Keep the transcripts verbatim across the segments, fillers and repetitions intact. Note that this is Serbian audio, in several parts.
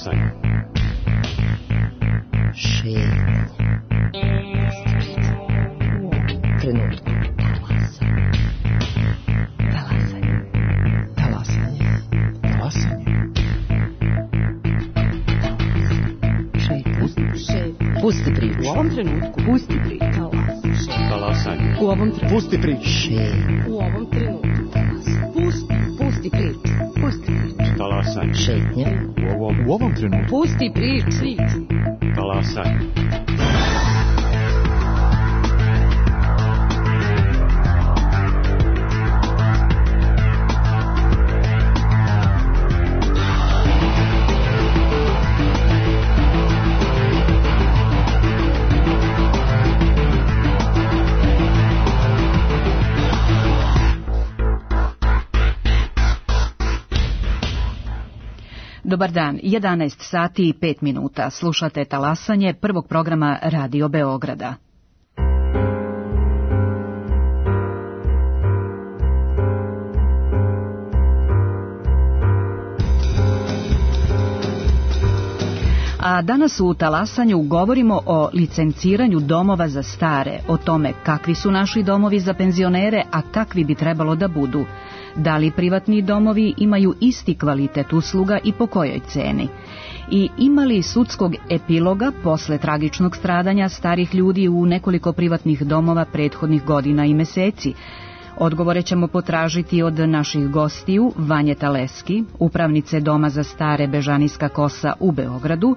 Talasanje. Šetnja. U ovom trenutku. Talasanje. Talasanje. Talasanje. Šetnja. Pusti priču. U ovom trenutku. Pusti priču. Talasanje. U ovom trenutku. Pusti priču. Šetnja. U ovom trenutku. Pusti, pusti priču. Pusti priču. Talasanje. Šetnja. U ovom, U ovom trenutku. Pusti priču. talasanje. Dobar dan, jedanaest sati i pet minuta. Slušate Talasanje prvog programa Radio Beograda. A danas u Talasanju govorimo o licenciranju domova za stare, o tome kakvi su naši domovi za penzionere, a kakvi bi trebalo da budu. Da li privatni domovi imaju isti kvalitet usluga i po kojoj ceni? I ima li sudskog epiloga posle tragičnog stradanja starih ljudi u nekoliko privatnih domova prethodnih godina i meseci? Odgovore ćemo potražiti od naših gostiju Vanje Taleski, upravnice Doma za stare Bežanijska kosa u Beogradu,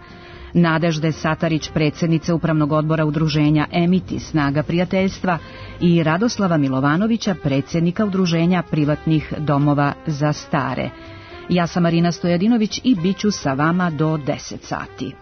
Nadežde Satarić, predsjednice Upravnog odbora udruženja Emiti Snaga prijateljstva i Radoslava Milovanovića, predsjednika udruženja privatnih domova za stare. Ja sam Marina Stojadinović i bit ću sa vama do deset sati.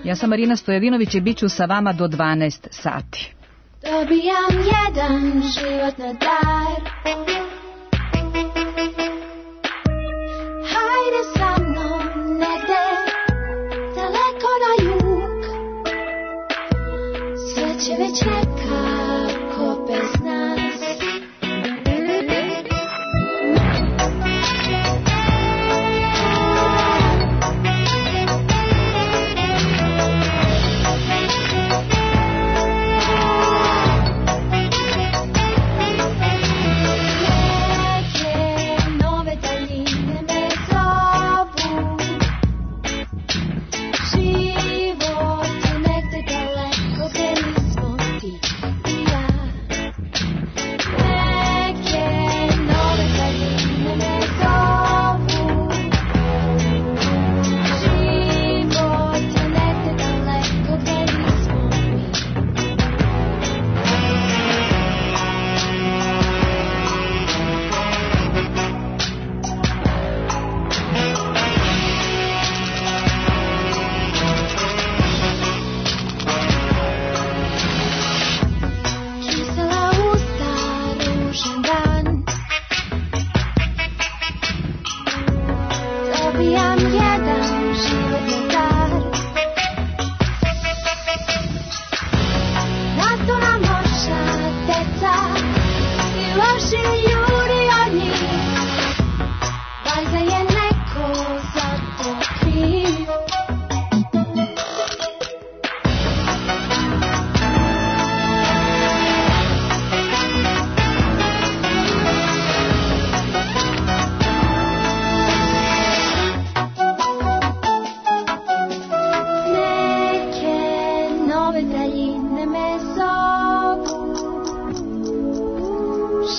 Ja sam Marina Stojadinović i bit ću sa vama do dvanaest sati. Dobijam jedan život na dar. Hajde sa mnom negde, daleko na jug. Sve će već nekako bez nas.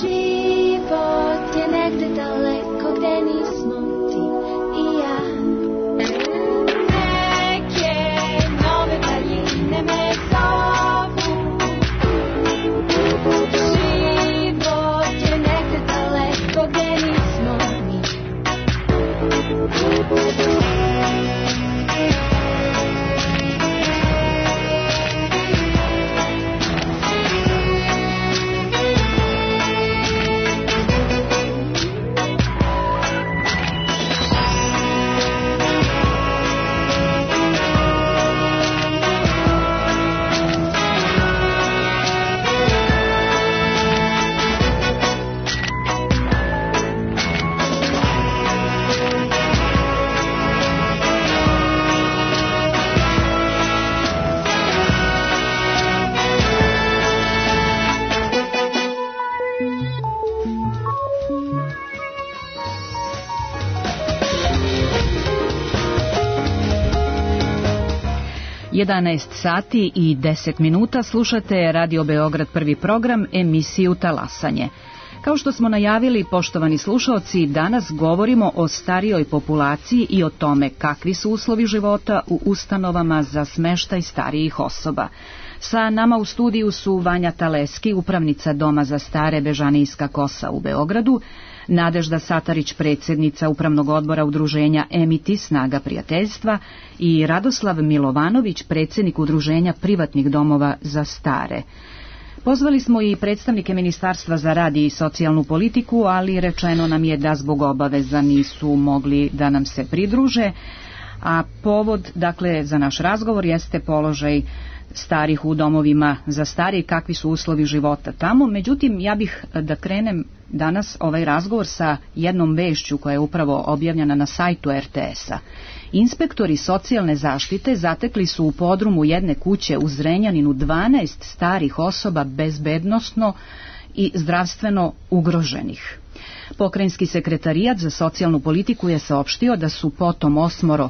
Život jedanaest sati i deset minuta slušate Radio Beograd prvi program, emisiju Talasanje. Kao što smo najavili, poštovani slušaoci, danas govorimo o starijoj populaciji i o tome kakvi su uslovi života u ustanovama za smeštaj starijih osoba. Sa nama u studiju su Vanja Taleski, upravnica Doma za stare Bežanijska kosa u Beogradu, Nadežda Satarić, predsjednica Upravnog odbora udruženja Emiti Snaga prijateljstva i Radoslav Milovanović, predsjednik udruženja privatnih domova za stare. Pozvali smo i predstavnike Ministarstva za rad i socijalnu politiku, ali rečeno nam je da zbog obaveza nisu mogli da nam se pridruže, a povod, dakle, za naš razgovor jeste položaj starih u domovima za stare i kakvi su uslovi života tamo. Međutim, ja bih da krenem danas ovaj razgovor sa jednom vešću koja je upravo objavljena na sajtu er te es a. Inspektori socijalne zaštite zatekli su u podrumu jedne kuće u Zrenjaninu dvanaest starih osoba bezbednosno i zdravstveno ugroženih. Pokrajinski sekretarijat za socijalnu politiku je saopštio da su potom osmoro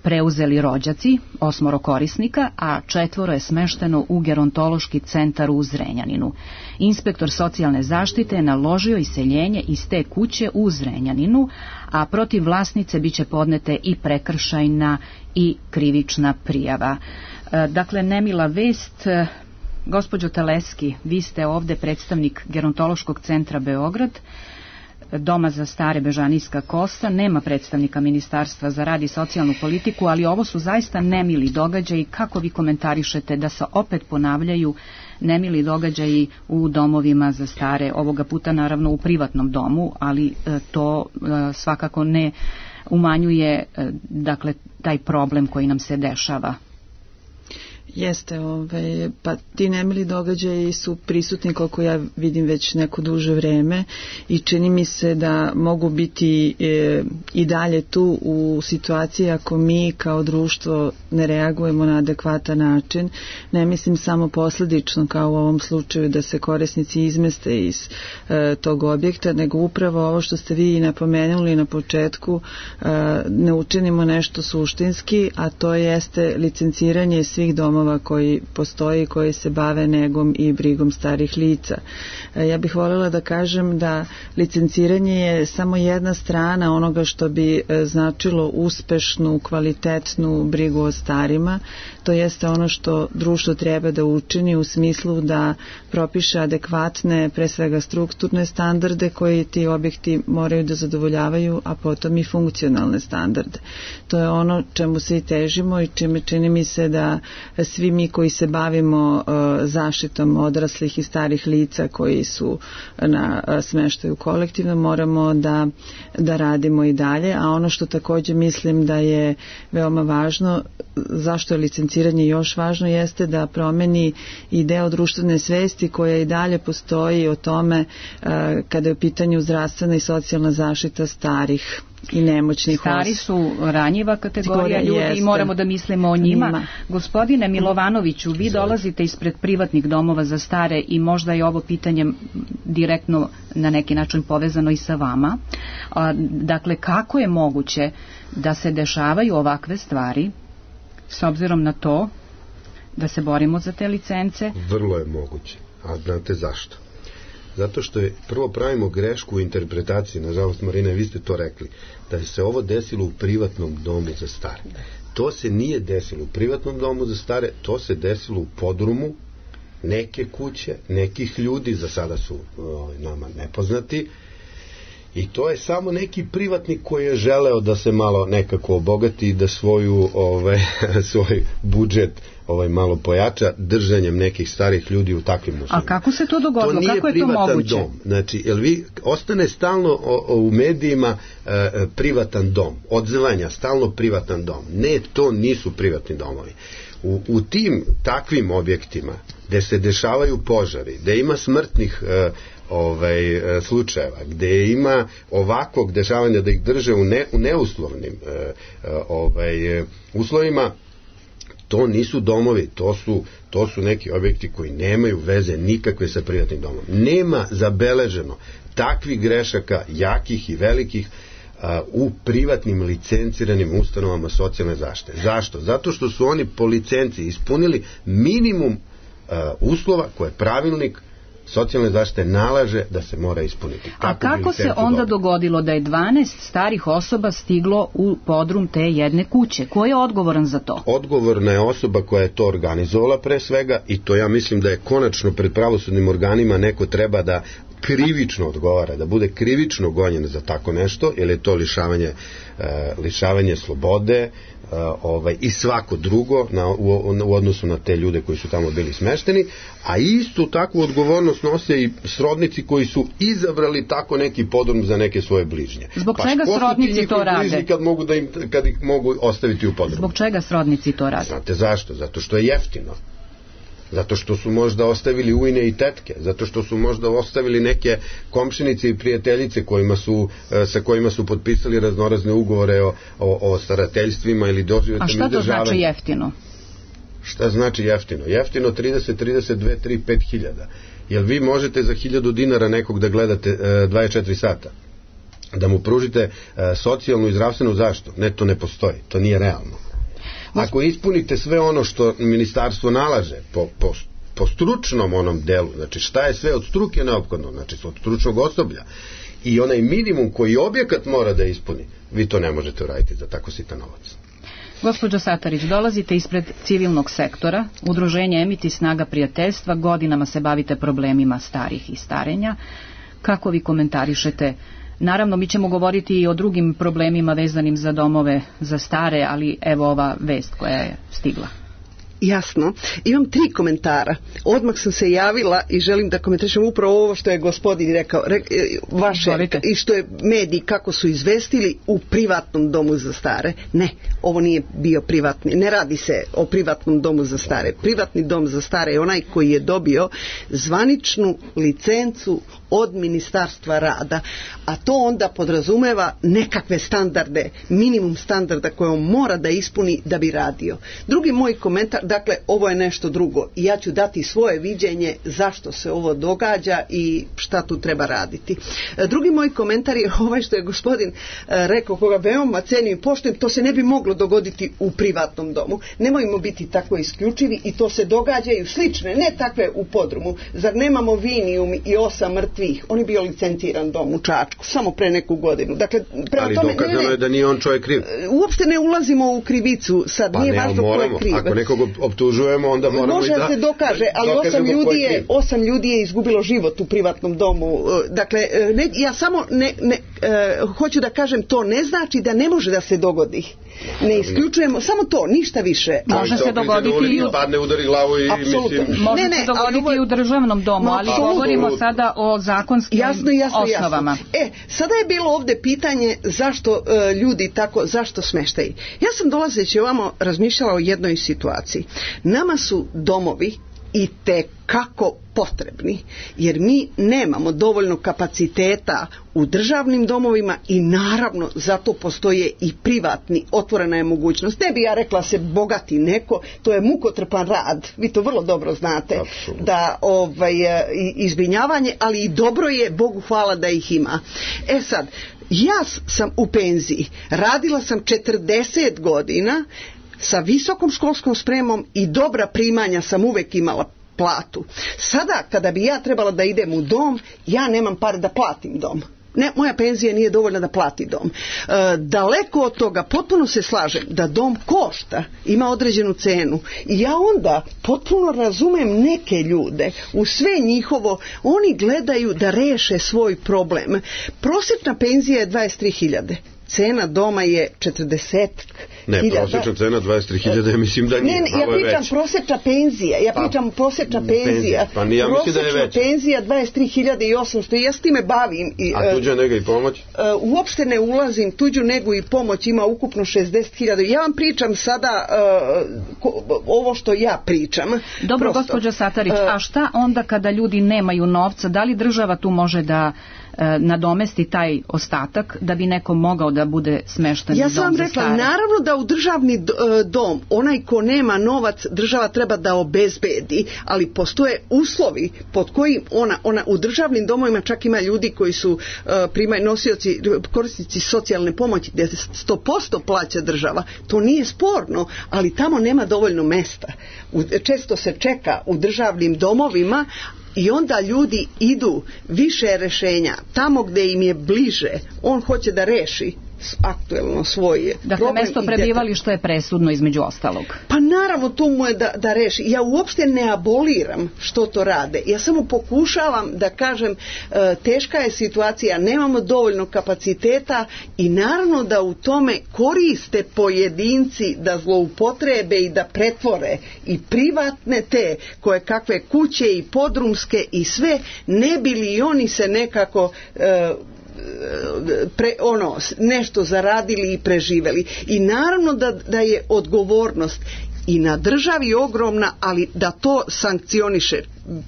preuzeli rođaci, osmoro korisnika, a četvoro je smešteno u gerontološki centar u Zrenjaninu. Inspektor socijalne zaštite je naložio iseljenje iz te kuće u Zrenjaninu, a protiv vlasnice biće podnete i prekršajna i krivična prijava. Dakle, nemila vest. Gospođo Taleski, vi ste ovde predstavnik gerontološkog centra Beograd, Doma za stare Bežanijska kosa, nema predstavnika Ministarstva za rad i socijalnu politiku, ali ovo su zaista nemili događaji. Kako vi komentarišete da se opet ponavljaju nemili događaji u domovima za stare, ovoga puta naravno u privatnom domu, ali to svakako ne umanjuje, dakle, taj problem koji nam se dešava? Jeste, ovaj, pa ti nemili događaji su prisutni, koliko ja vidim, već neko duže vreme i čini mi se da mogu biti e, i dalje tu u situaciji ako mi kao društvo ne reagujemo na adekvatan način. Ne mislim samo posledično kao u ovom slučaju da se korisnici izmeste iz e, tog objekta, nego upravo ovo što ste vi napomenuli na početku, e, ne učinimo nešto suštinski, a to jeste licenciranje svih domova koji postoji, koji se bave negom i brigom starih lica. Ja bih voljela da kažem da licenciranje je samo jedna strana onoga što bi značilo uspešnu, kvalitetnu brigu o starima. To jeste ono što društvo treba da učini u smislu da propiše adekvatne, pre svega strukturne standarde koji ti objekti moraju da zadovoljavaju, a potom i funkcionalne standarde. To je ono čemu se i težimo i čime čini mi se da svi mi koji se bavimo uh, zaštitom odraslih i starih lica koji su na uh, smeštaju kolektivno moramo da, da radimo i dalje, a ono što također mislim da je veoma važno, zašto je licenciranje još važno, jeste da promeni i deo društvene svesti koja i dalje postoji o tome uh, kada je u pitanju zdravstvena i socijalna zaštita starih i nemoćnih osoba. Stari su ranjiva kategorija ljudi jeste. I moramo da mislimo o njima. Njima. Gospodine Milovanoviću, vi dolazite ispred privatnih domova za stare i možda je ovo pitanje direktno na neki način povezano i sa vama. Dakle, kako je moguće da se dešavaju ovakve stvari s obzirom na to da se borimo za te licence? Vrlo je moguće. A znate zašto? Zato što je, prvo pravimo grešku u interpretaciji, nažalost, Marina, vi ste to rekli, da se ovo desilo u privatnom domu za stare. To se nije desilo u privatnom domu za stare, to se desilo u podrumu neke kuće, nekih ljudi, za sada su o, nama nepoznati, i to je samo neki privatnik koji je želeo da se malo nekako obogati i da svoju, ovaj, svoj budžet ovaj, malo pojača držanjem nekih starih ljudi u takvim uslovima. A kako se to dogodilo? To kako je to moguće? Dom. Znači, jel vi ostane stalno o, o, u medijima e, privatan dom, odzvanja, stalno privatan dom. Ne, to nisu privatni domovi. U, u tim takvim objektima gde se dešavaju požari, gde ima smrtnih e, ovaj, e, slučajeva, gde ima ovakvog dešavanja da ih drže u, ne, u neuslovnim e, e, ovaj, e, uslovima, to nisu domovi, to su, to su neki objekti koji nemaju veze nikakve sa privatnim domom. Nema zabeleženo takvih grešaka, jakih i velikih, u privatnim licenciranim ustanovama socijalne zaštite. Zašto? Zato što su oni po licenciji ispunili minimum uslova koje pravilnik socijalne zaštite nalaže da se mora ispuniti. A kako se onda dogodilo da je dvanaest starih osoba stiglo u podrum te jedne kuće? Ko je odgovoran za to? Odgovorna je osoba koja je to organizovala pre svega i to ja mislim da je konačno pred pravosudnim organima neko treba da krivično odgovara, da bude krivično gonjen za tako nešto, jer je to lišavanje, uh, lišavanje slobode uh, ovaj, i svako drugo na, u, u odnosu na te ljude koji su tamo bili smešteni, a istu takvu odgovornost nose i srodnici koji su izabrali tako neki podrum za neke svoje bližnje. Zbog pa čega srodnici to rade? Kad, mogu da im, kad ih mogu ostaviti u podrumu. Zbog čega srodnici to rade? Znate zašto? Zato što je jeftino. Zato što su možda ostavili ujne i tetke, zato što su možda ostavili neke komšinice i prijateljice kojima su, sa kojima su potpisali raznorazne ugovore o, o, o starateljstvima ili doživotnom izdržavanju. A šta to znači jeftino? Šta znači jeftino? Jeftino trideset, trideset dva, tri, pet hiljada. Jel vi možete za hiljadu dinara nekog da gledate e, dvadeset četiri sata? Da mu pružite e, socijalnu i zdravstvenu zaštitu? Ne, to ne postoji, to nije realno. Ako ispunite sve ono što ministarstvo nalaže po, po, po stručnom onom delu, znači šta je sve od struke neophodno, znači od stručnog osoblja i onaj minimum koji objekat mora da ispuni, vi to ne možete uraditi za tako sitan novac. Gospođo Satarić, dolazite ispred civilnog sektora, udruženje Emiti Snaga prijateljstva, godinama se bavite problemima starih i starenja. Kako vi komentarišete? Naravno, mi ćemo govoriti i o drugim problemima vezanim za domove za stare, ali evo ova vest koja je stigla. Jasno. Imam tri komentara. Odmah sam se javila i želim da komentarišem upravo ovo što je gospodin rekao, re, vaše Zvolite. I što je mediji kako su izvestili u privatnom domu za stare. Ne, ovo nije bio privatni, ne radi se o privatnom domu za stare. Privatni dom za stare je onaj koji je dobio zvaničnu licencu od Ministarstva rada, a to onda podrazumeva nekakve standarde, minimum standarda koje on mora da ispuni da bi radio. Drugi moj komentar, dakle, ovo je nešto drugo i ja ću dati svoje viđenje zašto se ovo događa i šta tu treba raditi. Drugi moj komentar je ovaj što je gospodin rekao, koga veoma cenim i poštujem, to se ne bi moglo dogoditi u privatnom domu. Nemojmo biti tako isključivi i to se događaju slične, ne takve u podrumu. Zar nemamo Vinijum i osam mrtvih? On je bio licenciran dom u Čačku, samo pre neku godinu. Dakle, prema ali tome, dokazano ne, ne, je da nije on čovjek kriv. Uopšte ne ulazimo u krivicu, sad pa nije ne, važno ko je kriv. Ako nekog optužujemo, onda moramo može i da... se dokaže, ali osam ljudi, je, osam ljudi je izgubilo život u privatnom domu. Dakle, ne, ja samo ne, ne, uh, hoću da kažem, to ne znači da ne može da se dogodi. Ne isključujemo, samo to, ništa više. Može se dogoditi i u... padne, udari glavu i Apsolutno. mislim... Može ne, ne, se dogoditi ali... i u državnom domu, ali Apsolutno. govorimo sada o zakonskim jasno, jasno, osnovama. Jasno. E, sada je bilo ovde pitanje zašto uh, ljudi tako, zašto smeštaj. Ja sam dolazeći ovamo razmišljala o jednoj situaciji. Nama su domovi i te kako potrebni, jer mi nemamo dovoljno kapaciteta u državnim domovima i naravno zato postoje i privatni, otvorena je mogućnost. Ne bi ja rekla se bogati neko, to je mukotrpan rad, vi to vrlo dobro znate. Absolutno. Da ovaj, izbrinjavanje, ali i dobro je, Bogu hvala da ih ima. E sad, ja sam u penziji, radila sam četrdeset godina, sa visokom školskom spremom i dobra primanja sam uvek imala platu. Sada, kada bi ja trebala da idem u dom, ja nemam pare da platim dom. Ne, moja penzija nije dovoljna da plati dom. E, daleko od toga, potpuno se slažem da dom košta, ima određenu cenu i ja onda potpuno razumem neke ljude, u sve njihovo, oni gledaju da reše svoj problem. Prosječna penzija je dvadeset tri hiljade. Cena doma je četrdeset Ne, prosječna cena dvadeset tri hiljade, ja mislim da nije. Ne, ne, ja pričam prosječna penzija, ja pričam pa, prosječna penzija. penzija. Pa nije, ja mislim da je već. Prosječna penzija dvadeset tri hiljade i osamsto i ja s time bavim. I, a tuđa nega i pomoć? Uh, uopšte ne ulazim, tuđu negu i pomoć ima ukupno šezdeset hiljada. Ja vam pričam sada uh, ko, ovo što ja pričam. Dobro, gospođo Satarić, uh, a šta onda kada ljudi nemaju novca? Da li država tu može da e, nadomesti taj ostatak da bi neko mogao da bude smešten Ja u dom sam za rekla, stare. naravno da u državni d- e, dom, onaj ko nema novac, država treba da obezbedi, ali postoje uslovi pod kojim ona, ona u državnim domovima čak ima ljudi koji su e, primaju nosioci, korisnici socijalne pomoći gdje sto posto plaća država. To nije sporno, ali tamo nema dovoljno mesta. U, često se čeka u državnim domovima i onda ljudi idu više rješenja tamo gdje im je bliže. On hoće da reši aktuelno svoje Dakle, problem mesto i prebivališta je presudno između ostalog. Pa naravno to mu je da, da reši. Ja uopšte ne aboliram što to rade. Ja samo pokušavam da kažem e, teška je situacija, nemamo dovoljno kapaciteta i naravno da u tome koriste pojedinci da zloupotrebe i da pretvore i privatne te koje kakve kuće i podrumske i sve, ne bi li oni se nekako e, Pre, ono, nešto zaradili i preživeli. I naravno da, da je odgovornost i na državi ogromna, ali da to sankcioniše.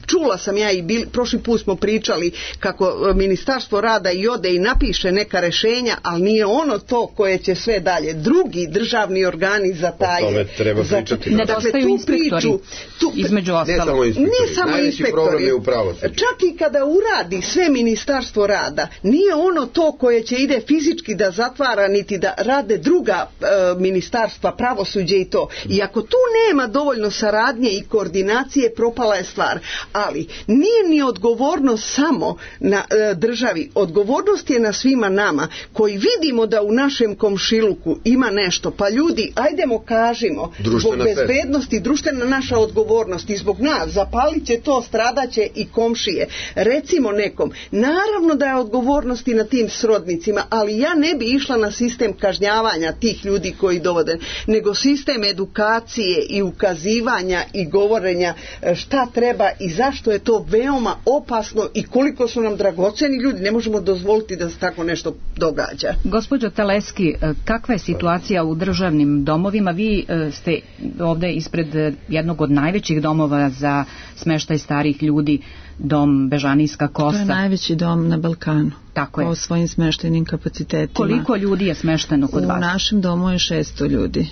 Čula sam ja i bili, prošli put smo pričali kako Ministarstvo rada i ode i napiše neka rešenja, ali nije ono to koje će sve dalje. Drugi državni organi zataje. O tome treba pričati. Ne dakle, tu priču, tu, između ostalog. Ne samo inspektori. Nije samo Najveći inspektori. problem je u pravosuđu. Čak i kada uradi sve Ministarstvo rada, nije ono to koje će ide fizički da zatvara, niti da rade druga e, ministarstva, pravosuđe i to. I ako tu nema dovoljno saradnje i koordinacije, propala je stvar. Ali nije ni odgovornost samo na e, državi, odgovornost je na svima nama koji vidimo da u našem komšiluku ima nešto, pa ljudi, ajdemo kažimo, društvena zbog bezbednosti, društvena naša odgovornost i zbog nas, zapalit će to, stradaće i komšije. Recimo nekom, naravno da je odgovornost i na tim srodnicima, ali ja ne bi išla na sistem kažnjavanja tih ljudi koji dovode, nego sistem edukacije i ukazivanja i govorenja šta treba i zašto je to veoma opasno i koliko su nam dragoceni ljudi, ne možemo dozvoliti da se tako nešto događa. Gospođo Teleski, kakva je situacija u državnim domovima? Vi ste ovdje ispred jednog od najvećih domova za smeštaj starih ljudi, dom Bežanijska kosa. To je najveći dom na Balkanu. Tako je. Po svojim smeštajnim kapacitetima. Koliko ljudi je smešteno kod u vas? U našem domu je šesto ljudi.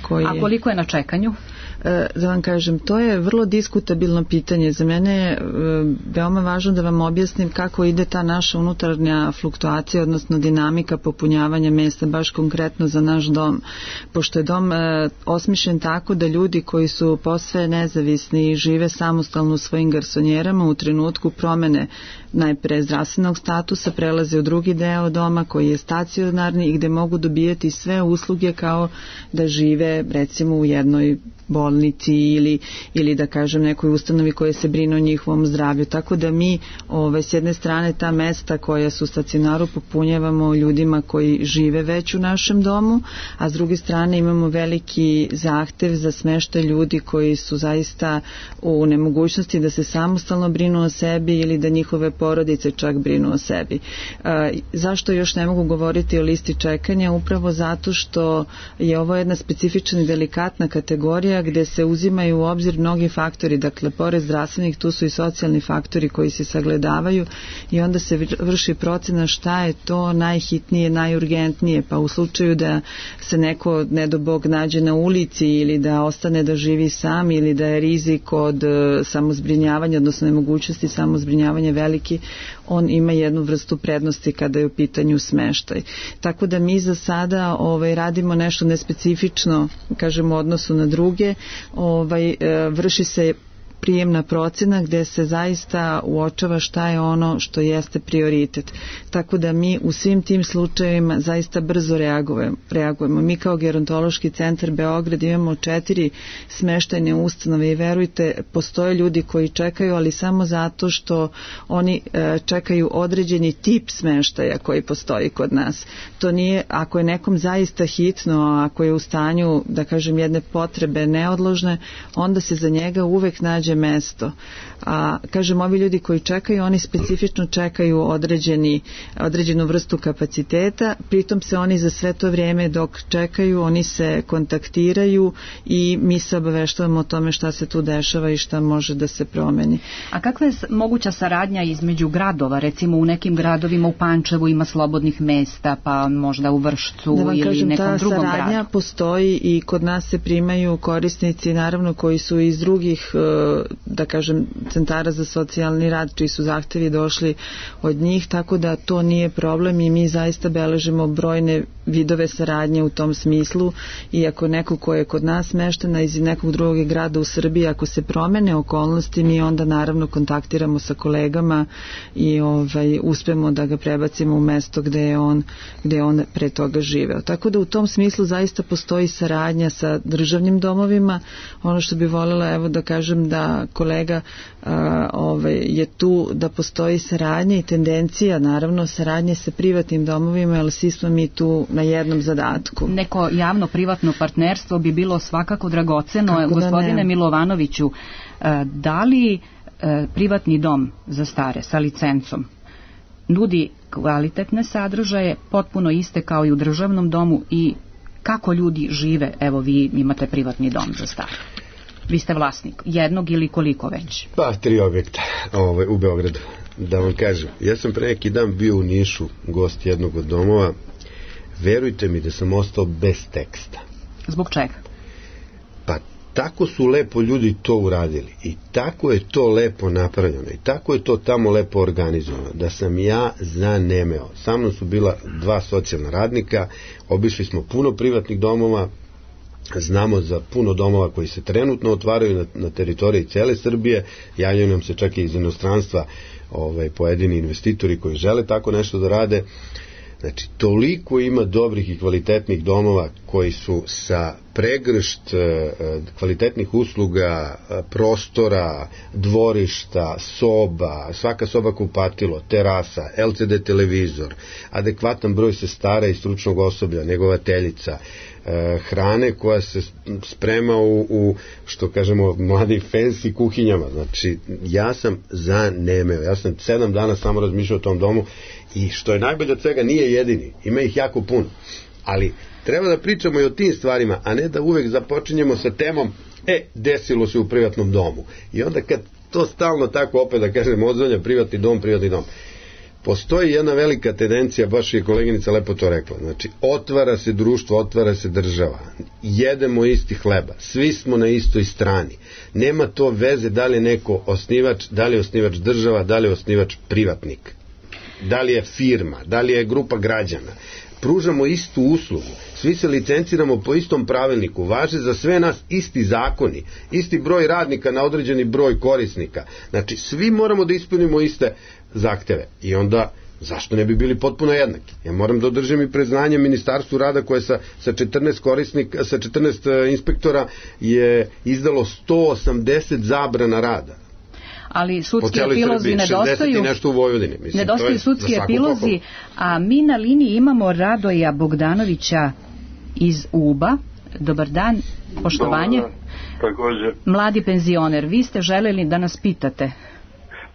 Koji A koliko je na čekanju? Da vam kažem, to je vrlo diskutabilno pitanje. Za mene je veoma važno da vam objasnim kako ide ta naša unutarnja fluktuacija, odnosno dinamika popunjavanja mjesta, baš konkretno za naš dom. Pošto je dom osmišljen tako da ljudi koji su posve nezavisni i žive samostalno u svojim garsonjerama u trenutku promene najpre zdravstvenog statusa prelaze u drugi deo doma koji je stacionarni i gde mogu dobijati sve usluge kao da žive recimo u jednoj bolnici ili, ili da kažem nekoj ustanovi koje se brine o njihovom zdravlju. Tako da mi ove, s jedne strane ta mesta koja su stacionaru popunjavamo ljudima koji žive već u našem domu, a s druge strane imamo veliki zahtev za smeštaj ljudi koji su zaista u nemogućnosti da se samostalno brinu o sebi ili da njihove porodice čak brinu o sebi. E, zašto još ne mogu govoriti o listi čekanja? Upravo zato što je ovo jedna specifična i delikatna kategorija gdje se uzimaju u obzir mnogi faktori, dakle pored zdravstvenih tu su i socijalni faktori koji se sagledavaju i onda se vrši procena šta je to najhitnije, najurgentnije, pa u slučaju da se neko ne do Bog nađe na ulici ili da ostane da živi sam ili da je rizik od samozbrinjavanja, odnosno nemogućnosti samozbrinjavanja veliki, on ima jednu vrstu prednosti kada je u pitanju smeštaj. Tako da mi za sada ovaj, radimo nešto nespecifično, kažemo, u odnosu na druge. Ovaj, vrši se prijemna procena gdje se zaista uočava šta je ono što jeste prioritet. Tako da mi u svim tim slučajevima zaista brzo reagujemo. reagujemo. Mi kao Gerontološki centar Beograd imamo četiri smeštajne ustanove i verujte, postoje ljudi koji čekaju, ali samo zato što oni e, čekaju određeni tip smeštaja koji postoji kod nas. To nije, ako je nekom zaista hitno, ako je u stanju, da kažem, jedne potrebe neodložne, onda se za njega uvek nađe nađe mesto. A kažem, ovi ljudi koji čekaju, oni specifično čekaju određeni, određenu vrstu kapaciteta, pritom se oni za sve to vrijeme dok čekaju, oni se kontaktiraju i mi se obaveštavamo o tome šta se tu dešava i šta može da se promeni. A kakva je moguća saradnja između gradova? Recimo u nekim gradovima u Pančevu ima slobodnih mesta, pa možda u Vršcu da ili kažem, nekom drugom gradu. Ta saradnja postoji i kod nas se primaju korisnici, naravno koji su iz drugih, da kažem, centara za socijalni rad, čiji su zahtevi došli od njih, tako da to nije problem i mi zaista beležimo brojne vidove saradnje u tom smislu i ako neko ko je kod nas smeštena iz nekog drugog grada u Srbiji, ako se promene okolnosti, mi onda naravno kontaktiramo sa kolegama i ovaj, uspemo da ga prebacimo u mesto gde je on, gde je on pre toga živeo. Tako da u tom smislu zaista postoji saradnja sa državnim domovima. Ono što bi voljela, evo da kažem da kolega a, ovaj, je tu da postoji saradnja i tendencija, naravno, saradnje sa privatnim domovima, ali svi smo mi tu na jednom zadatku. Neko javno-privatno partnerstvo bi bilo svakako dragoceno. Kako Gospodine da Milovanoviću, da li privatni dom za stare sa licencom nudi kvalitetne sadržaje, potpuno iste kao i u državnom domu, i kako ljudi žive? Evo, vi imate privatni dom za stare. Vi ste vlasnik jednog ili koliko već? Pa, tri objekta ovaj, u Beogradu. Da vam kažem, ja sam pre neki dan bio u Nišu, gost jednog od domova. Verujte mi da sam ostao bez teksta. Zbog čega? Pa tako su lepo ljudi to uradili i tako je to lepo napravljeno i tako je to tamo lepo organizovano da sam ja zanemeo. Sa mnom su bila dva socijalna radnika, obišli smo puno privatnih domova, znamo za puno domova koji se trenutno otvaraju na, na teritoriji cele Srbije, javljaju nam se čak i iz inostranstva ovaj, pojedini investitori koji žele tako nešto da rade. Znači, toliko ima dobrih i kvalitetnih domova koji su sa pregršt kvalitetnih usluga, prostora, dvorišta, soba, svaka soba kupatilo, terasa, el ce de televizor, adekvatan broj sestara i stručnog osoblja, negovateljica, hrane koja se sprema u, u što kažemo, mladim fancy kuhinjama. Znači, ja sam zanemeo. Ja sam sedam dana samo razmišljao o tom domu i što je najbolje od svega, nije jedini. Ima ih jako puno. Ali treba da pričamo i o tim stvarima, a ne da uvek započinjemo sa temom e, desilo se u privatnom domu. I onda kad to stalno tako opet da kažem odzvanja privatni dom, privatni dom. Postoji jedna velika tendencija, baš je koleginica lepo to rekla, znači otvara se društvo, otvara se država, jedemo isti hleba, svi smo na istoj strani, nema to veze da li je neko osnivač, da li je osnivač država, da li je osnivač privatnik, da li je firma, da li je grupa građana, pružamo istu uslugu, svi se licenciramo po istom pravilniku, važe za sve nas isti zakoni, isti broj radnika na određeni broj korisnika, znači svi moramo da ispunimo iste zahteve i onda zašto ne bi bili potpuno jednaki? Ja moram da održim i priznanje Ministarstvu rada koje sa, sa četrnaest korisnika, sa četrnaest inspektora je izdalo sto osamdeset zabrana rada. Ali sudski epilozi nedostaju, nešto u Vojvodini. Mislim, nedostaju sudski epilozi, a mi na liniji imamo Radoja Bogdanovića iz Uba. Dobar dan, poštovanje. Dobar, također. Mladi penzioner, vi ste želeli da nas pitate.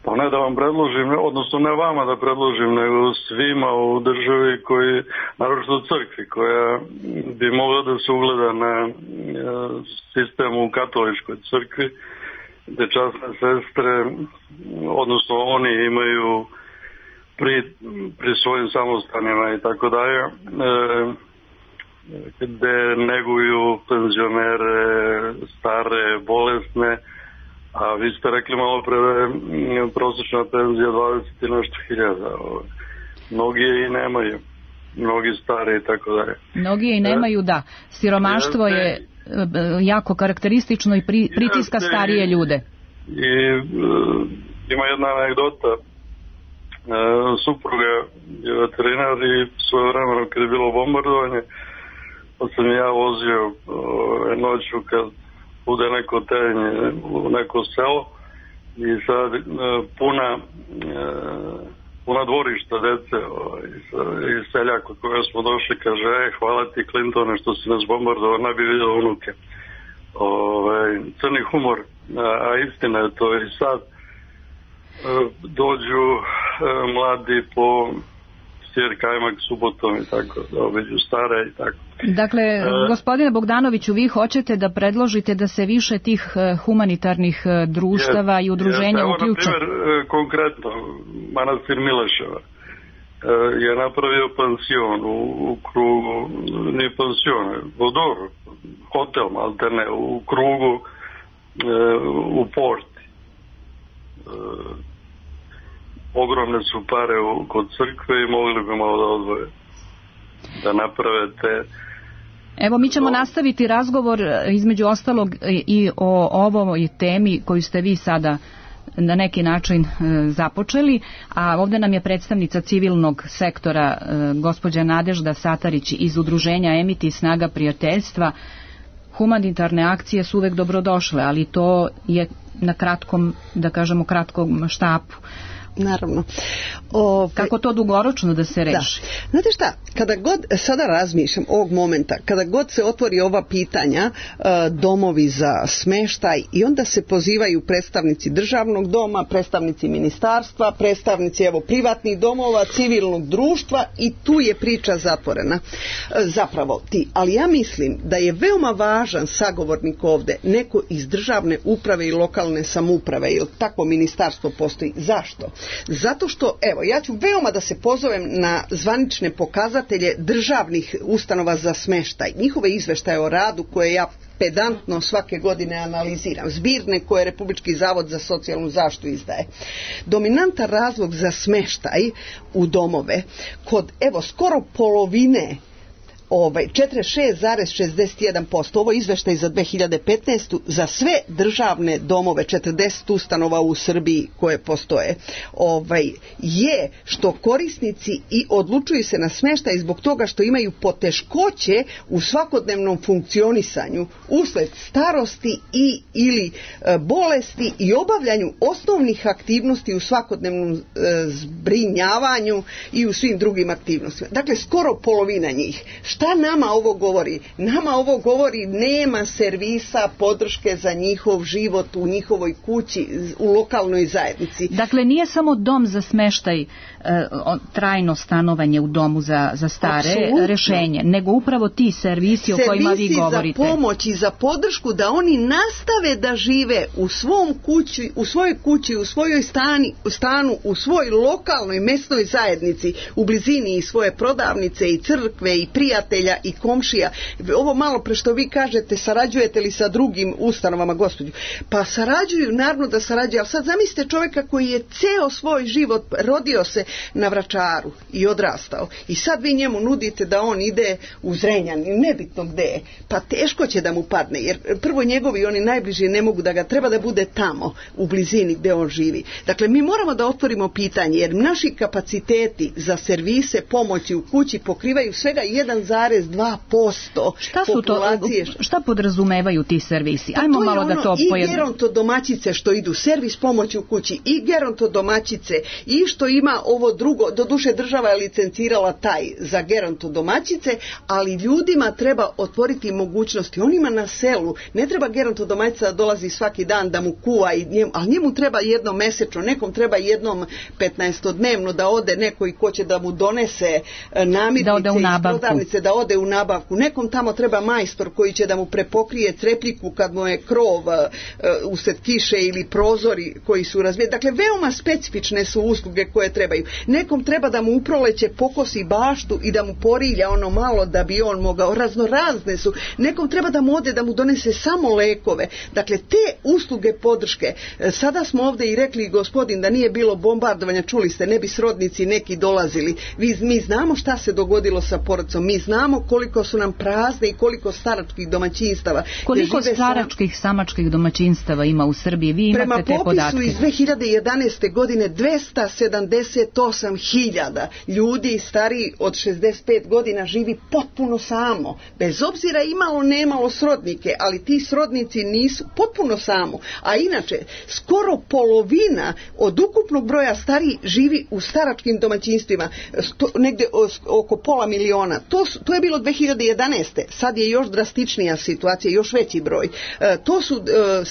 Pa ne da vam predložim, odnosno ne vama da predložim, nego svima u državi koji, naročito u crkvi, koja bi mogla da se ugleda na sistemu u katoličkoj crkvi, gde časne sestre, odnosno oni imaju pri, pri svojim samostanima i tako dalje, gde neguju penzionere, stare, bolesne, a vi ste rekli malo pre da je prosječna penzija dvadeset i nešto hiljada. Mnogi je i nemaju, mnogi stari i tako dalje. Mnogi je i nemaju, da. Siromaštvo je jako karakteristično i pri, pritiska starije ljude. I uh, ima jedna anegdota. Uh, supruga je veterinar i svoje vremeno kad je bilo bombardovanje, pa sam ja vozio uh, noću kad bude neko tenje u neko selo i sad uh, puna uh, puna dvorišta dece uh, i seljak od koja smo došli kaže, e, hvala ti Clintone što si nas bombardovao, ne bi vidio unuke. ovaj, crni humor, a, a istina je to i sad e, dođu e, mladi po Sjer Kajmak subotom i tako, da obiđu stare i tako. Dakle, e, gospodine Bogdanoviću, vi hoćete da predložite da se više tih humanitarnih društava je, i udruženja je, uključe? Evo, na primjer, konkretno, manastir Mileševa je napravio pansion u, u krugu, nije pansion, vodor, hotel, maltene, u krugu, e, u porti. E, ogromne su pare u, kod crkve i mogli bi malo da odvoje, da naprave te. Evo, mi ćemo nastaviti razgovor između ostalog i o ovoj temi koju ste vi sada na neki način e, započeli, a ovdje nam je predstavnica civilnog sektora e, gospođa Nadežda Satarić iz udruženja Emiti Snaga prijateljstva. Humanitarne akcije su uvek dobrodošle, ali to je na kratkom, da kažemo, kratkom štapu. Naravno. O, Kako to dugoročno da se reši? Da. Znate šta, kada god sada razmišljam ovog momenta, kada god se otvori ova pitanja, e, domovi za smeštaj, i onda se pozivaju predstavnici državnog doma, predstavnici ministarstva, predstavnici evo privatnih domova, civilnog društva, i tu je priča zatvorena. E, zapravo ti, ali ja mislim da je veoma važan sagovornik ovde neko iz državne uprave i lokalne samouprave, jer tako ministarstvo postoji. Zašto? Zato što, evo, ja ću veoma da se pozovem na zvanične pokazatelje državnih ustanova za smeštaj, njihove izveštaje o radu koje ja pedantno svake godine analiziram, zbirne koje Republički zavod za socijalnu zaštitu izdaje. Dominantan razlog za smeštaj u domove kod, evo, skoro polovine, ovaj, četrdeset šest zarez šezdeset jedan posto, ovo je izveštaj za dve hiljade petnaestu. za sve državne domove, četrdeset ustanova u Srbiji koje postoje, ovaj, je što korisnici i odlučuju se na smeštaj zbog toga što imaju poteškoće u svakodnevnom funkcionisanju usled starosti i ili e, bolesti i obavljanju osnovnih aktivnosti u svakodnevnom e, zbrinjavanju i u svim drugim aktivnostima. Dakle, skoro polovina njih. Šta nama ovo govori? Nama ovo govori nema servisa podrške za njihov život u njihovoj kući, u lokalnoj zajednici. Dakle, nije samo dom za smeštaj, e, trajno stanovanje u domu za, za stare, apsolutno, rešenje, nego upravo ti servisi, servisi o kojima vi govorite. Servisi za pomoć i za podršku da oni nastave da žive u svom kući, u svojoj kući, u svojoj stani, stanu, u svojoj lokalnoj mesnoj zajednici, u blizini i svoje prodavnice i crkve i prijatelja i komšija. Ovo malo pre što vi kažete, sarađujete li sa drugim ustanovama, gospođo? Pa sarađuju, naravno da sarađuju, ali sad zamislite čovjeka koji je ceo svoj život rodio se na Vračaru i odrastao. I sad vi njemu nudite da on ide u Zrenjan, nebitno gde je. Pa teško će da mu padne, jer prvo njegovi, oni najbliži ne mogu da ga, treba da bude tamo, u blizini gde on živi. Dakle, mi moramo da otvorimo pitanje, jer naši kapaciteti za servise pomoći u kući pokrivaju svega jedan zarez dva posto šta su populacije. To, šta podrazumevaju ti servisi? Ajmo to malo ono, da to i pojedno. I gerontodomaćice što idu, servis pomoći u kući, i gerontodomaćice, i što ima ovo drugo, doduše država je licencirala taj za gerontodomaćice, ali ljudima treba otvoriti mogućnosti. Onima na selu ne treba gerontodomaćica da dolazi svaki dan da mu kuva, i njemu, ali njemu treba jednom mesečno, nekom treba jednom petnaestodnevno da ode neko i ko će da mu donese namirnice da ode u nabavku. Prodavnice, da ode u nabavku. Nekom tamo treba majstor koji će da mu prepokrije crepljiku kad mu je krov uh, usred kiše ili prozori koji su razvijeni. Dakle, veoma specifične su usluge koje trebaju. Nekom treba da mu uproleće pokosi baštu i da mu porilja ono malo da bi on mogao. Raznorazne su. Nekom treba da mu ode da mu donese samo lekove. Dakle, te usluge podrške. Sada smo ovde i rekli, gospodin, da nije bilo bombardovanja, čuli ste, ne bi srodnici neki dolazili. Vi, mi znamo šta se dogodilo sa porodicom. Mi znamo koliko su nam prazne i koliko staračkih domaćinstava. Koliko staračkih, samačkih domaćinstava ima u Srbiji? Vi imate te podatke? Prema popisu iz dve hiljade jedanaeste. godine dvesta sedamdeset osam hiljada ljudi stariji od šezdeset pet godina živi potpuno samo. Bez obzira imalo nemalo srodnike, ali ti srodnici nisu potpuno samo. A inače, skoro polovina od ukupnog broja stariji živi u staračkim domaćinstvima. Sto, negde oko pola miliona. To, to je bilo dve hiljade jedanaeste. Sad je još drastičnija situacija, još veći broj. E, to su e,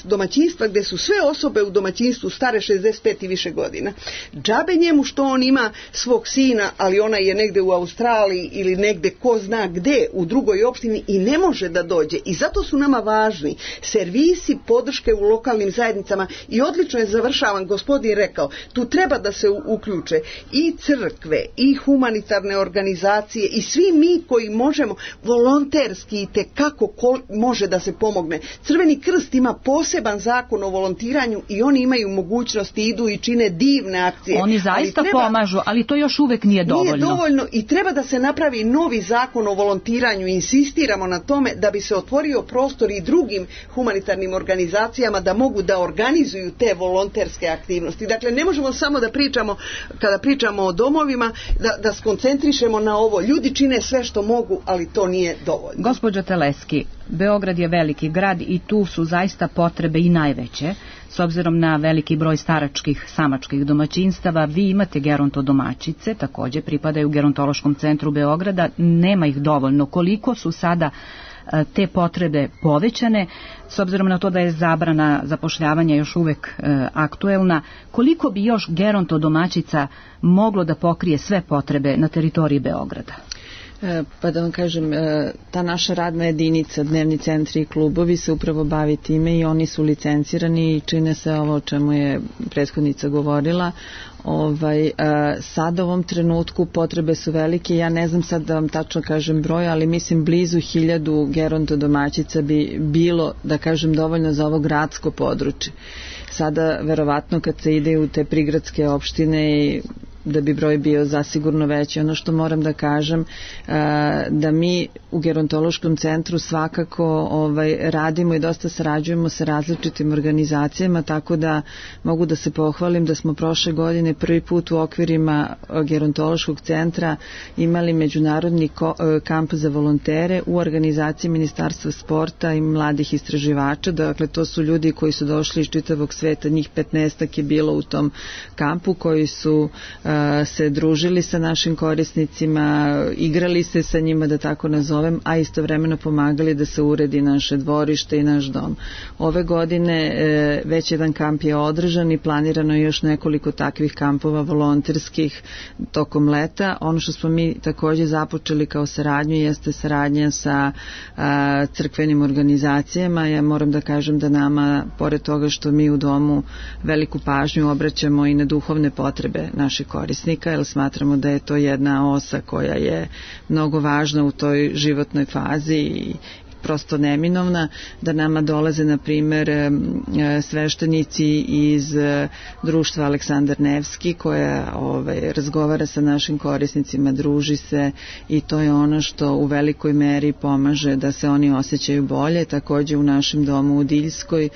domaćinstva gdje su sve osobe u domaćinstvu stare šezdeset pet i više godina. Džabe njemu što on ima svog sina, ali ona je negdje u Australiji ili negdje ko zna gdje u drugoj opštini i ne može da dođe. I zato su nama važni servisi podrške u lokalnim zajednicama i odlično je, završavan, gospodin rekao, tu treba da se uključe i crkve i humanitarne organizacije i svi mi koji možemo volonterski i tekako ko može da se pomogne. Crveni krst ima poseban zakon o volontiranju i oni imaju mogućnosti, idu i čine divne akcije. Oni zaista ali treba, pomažu, ali to još uvek nije dovoljno. Nije dovoljno i treba da se napravi novi zakon o volontiranju. Insistiramo na tome da bi se otvorio prostor i drugim humanitarnim organizacijama da mogu da organizuju te volonterske aktivnosti. Dakle, ne možemo samo da pričamo, kada pričamo o domovima, da, da skoncentrišemo na ovo. Ljudi čine sve što mogu, ali to nije dovoljno. Gospođo Teleski, Beograd je veliki grad i tu su zaista potrebe i najveće. S obzirom na veliki broj staračkih samačkih domaćinstava, vi imate gerontodomaćice, također pripadaju Gerontološkom centru Beograda, nema ih dovoljno. Koliko su sada te potrebe povećane, s obzirom na to da je zabrana zapošljavanja još uvek e, aktuelna, koliko bi još gerontodomaćica moglo da pokrije sve potrebe na teritoriji Beograda? Pa da vam kažem, ta naša radna jedinica, dnevni centri i klubovi se upravo bavi time i oni su licencirani i čine se ovo o čemu je prethodnica govorila. Ovaj, sad u ovom trenutku potrebe su velike, ja ne znam sad da vam tačno kažem broj, ali mislim blizu hiljadu gerontodomaćica bi bilo, da kažem, dovoljno za ovo gradsko područje. Sada verovatno kad se ide u te prigradske opštine i da bi broj bio zasigurno veći. Ono što moram da kažem, da mi u gerontološkom centru svakako ovaj, radimo i dosta sarađujemo sa različitim organizacijama, tako da mogu da se pohvalim da smo prošle godine prvi put u okvirima gerontološkog centra imali međunarodni kamp za volontere u organizaciji Ministarstva sporta i mladih istraživača. Dakle, to su ljudi koji su došli iz čitavog sveta, njih petnaestak je bilo u tom kampu, koji su se družili sa našim korisnicima, igrali se sa njima, da tako nazovem, a istovremeno pomagali da se uredi naše dvorište i naš dom. Ove godine već jedan kamp je održan i planirano je još nekoliko takvih kampova volonterskih tokom leta. Ono što smo mi također započeli kao saradnju jeste saradnja sa a, crkvenim organizacijama. Ja moram da kažem da nama, pored toga što mi u domu veliku pažnju obraćamo i na duhovne potrebe naših korisnika, jer smatramo da je to jedna osa koja je mnogo važna u toj životnoj fazi i prosto neminovna, da nama dolaze na primjer sveštenici iz društva Aleksandar Nevski koja ovaj, razgovara sa našim korisnicima, druži se i to je ono što u velikoj meri pomaže da se oni osjećaju bolje. Također u našem domu u Diljskoj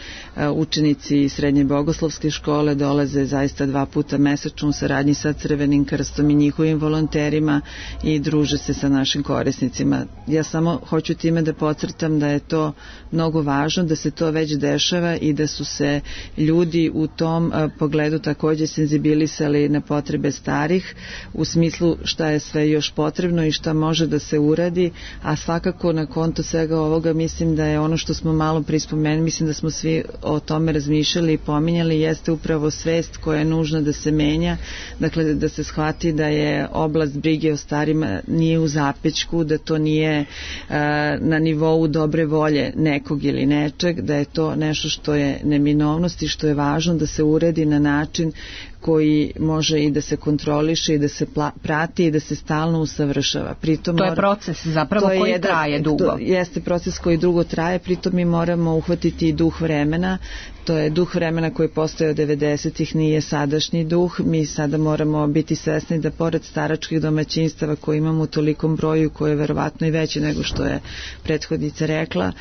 učenici srednje bogoslovske škole dolaze zaista dva puta mesečno u saradnji sa Crvenim krstom i njihovim volonterima i druže se sa našim korisnicima. Ja samo hoću time da podcrtam da je to mnogo važno, da se to već dešava i da su se ljudi u tom a, pogledu također senzibilisali na potrebe starih u smislu šta je sve još potrebno i šta može da se uradi, a svakako na konto svega ovoga mislim da je ono što smo malo prispomenuli, mislim da smo svi o tome razmišljali i pominjali, jeste upravo svest koja je nužna da se menja, dakle da se shvati da je oblast brige o starima nije u zapećku, da to nije a, na nivou dobre volje nekog ili nečeg, da je to nešto što je neminovnost i što je važno da se uredi na način koji može i da se kontroliše i da se pla, prati i da se stalno usavršava. Pritom to je mora, proces zapravo koji jedan, traje dugo. To jeste proces koji dugo traje, pritom mi moramo uhvatiti i duh vremena. To je duh vremena koji postoje od devedesetih, nije sadašnji duh. Mi sada moramo biti svesni da pored staračkih domaćinstava koje imamo u tolikom broju, koje je verovatno i veće nego što je prethodnica rekla,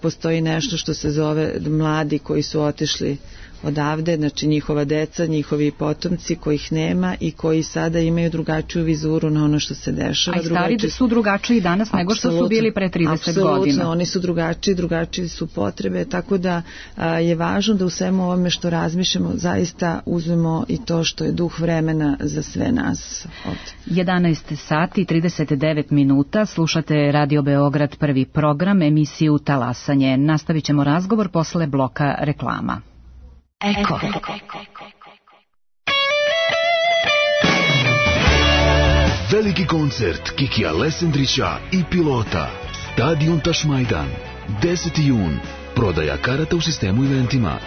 postoji nešto što se zove mladi koji su otišli odavde, znači njihova deca, njihovi potomci kojih nema i koji sada imaju drugačiju vizuru na ono što se dešava. A i stari drugačiji... su drugačiji danas nego što su bili pre trideset godina. Apsolutno, oni su drugačiji, drugačiji su potrebe, tako da a, je važno da u svemu ovome što razmišljamo zaista uzmemo i to što je duh vremena za sve nas ovde. jedanaest sati i trideset devet minuta, slušate Radio Beograd, prvi program, emisiju Talasanje. Nastavit ćemo razgovor posle bloka reklama. Eko. Veliki koncert Kikija Lesendrića i Pilota. Stadion Tašmajdan. deseti jun. Prodaja karata u sistemu eventima.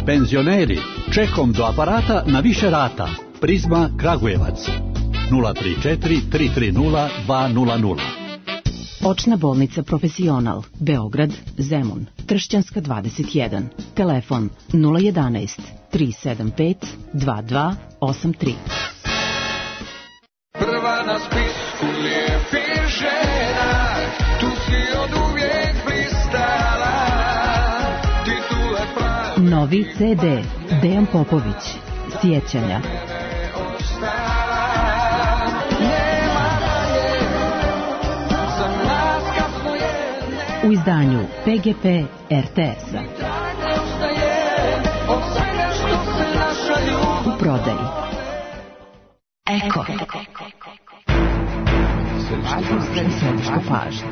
Penzioneri, čekom do aparata na više rata. Prizma Kragujevac. nula tri četiri tri tri nula dva nula nula. Očna bolnica Profesional, Beograd, Zemun, Tršćanska dvadeset jedan. Telefon nula jedanaest tri sedam pet dva dva osam tri. Prva na spisku lijepih žena, tu si od uvijek blistala, titule pravi. Novi ce de, Dejan Popović, Sjećanja. U izdanju pe ge pe er te es-a. U prodaji. Eko. Središte pažnje.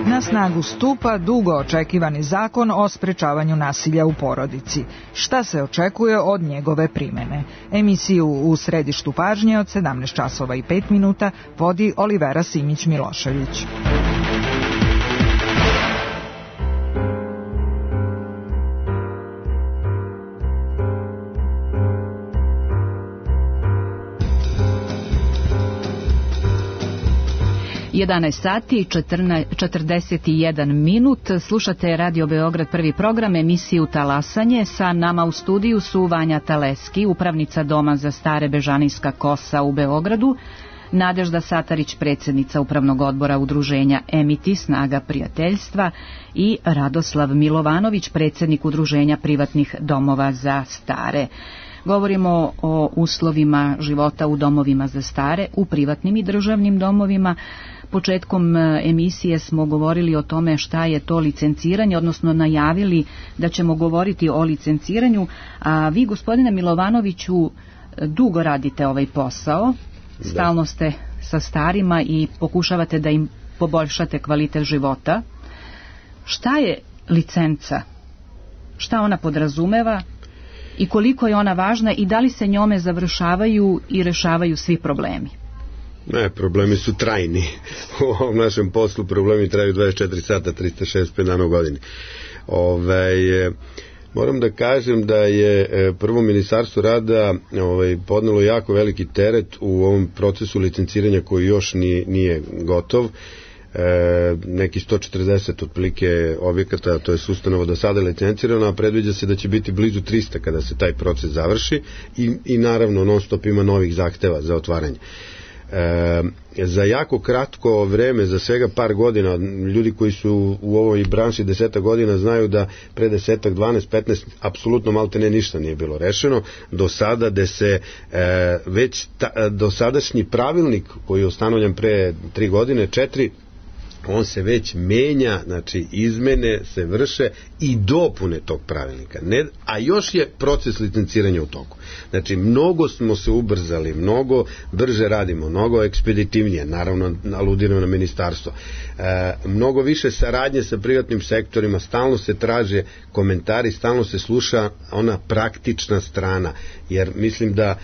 Na snagu stupa dugo očekivani zakon o sprečavanju nasilja u porodici. Šta se očekuje od njegove primene? Emisiju U središtu pažnje od sedamnaest časova i pet minuta vodi Olivera Simić-Milošević. jedanaest sati i četrdeset jedan minut. Slušate Radio Beograd, prvi program, emisiju Talasanje. Sa nama u studiju su Vanja Taleski, upravnica Doma za stare Bežanijska kosa u Beogradu, Nadežda Satarić, predsjednica Upravnog odbora udruženja Emiti, Snaga prijateljstva, i Radoslav Milovanović, predsjednik Udruženja privatnih domova za stare. Govorimo o uslovima života u domovima za stare, u privatnim i državnim domovima. Početkom emisije smo govorili o tome šta je to licenciranje, odnosno najavili da ćemo govoriti o licenciranju, a vi, gospodine Milovanoviću, dugo radite ovaj posao, stalno ste sa starima i pokušavate da im poboljšate kvalitet života. Šta je licenca? Šta ona podrazumeva i koliko je ona važna i da li se njome završavaju i rešavaju svi problemi? Ne, problemi su trajni. U ovom našem poslu problemi traju dvadeset četiri sata, trista šezdeset pet dana u godini. Ove, moram da kažem da je prvo Ministarstvo rada ovaj, podnelo jako veliki teret u ovom procesu licenciranja koji još nije, nije gotov. E, neki sto četrdeset otprilike objekata, to je ustanova do sada licencirano, a predviđa se da će biti blizu trista kada se taj proces završi i, i naravno non stop ima novih zahteva za otvaranje. E, za jako kratko vreme, za svega par godina, ljudi koji su u ovoj branši deseta godina znaju da pre desetak, dvanaest, petnaest apsolutno malte ne ništa nije bilo rešeno do sada, da se e, već ta, dosadašnji pravilnik koji je ustanovljen pre tri godine, četiri, on se već menja, znači izmene se vrše i dopune tog pravilnika, ne, a još je proces licenciranja u toku. Znači mnogo smo se ubrzali, mnogo brže radimo, mnogo ekspeditivnije, naravno aludiramo na ministarstvo, e, mnogo više saradnje sa privatnim sektorima, stalno se traže komentari, stalno se sluša ona praktična strana, jer mislim da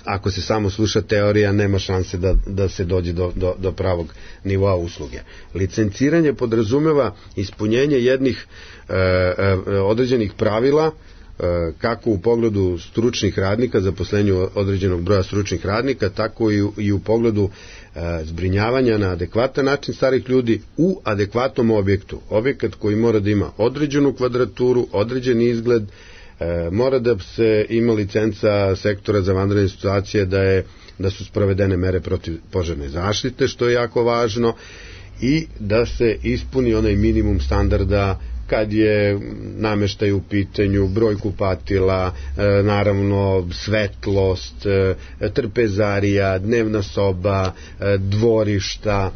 ako se samo sluša teorija, nema šanse da, da se dođe do, do, do pravog nivoa usluge. Licenciranje podrazumeva ispunjenje jednih e, e, određenih pravila, e, kako u pogledu stručnih radnika, zaposlenju određenog broja stručnih radnika, tako i u, i u pogledu e, zbrinjavanja na adekvatan način starih ljudi u adekvatnom objektu. Objekat koji mora da ima određenu kvadraturu, određen izgled, E, mora da se ima licenca sektora za vanredne situacije, da je da su sprovedene mere protiv požarne zaštite, što je jako važno, i da se ispuni onaj minimum standarda kad je nameštaj u pitanju, broj kupatila, e, naravno svetlost, e, trpezarija, dnevna soba, e, dvorišta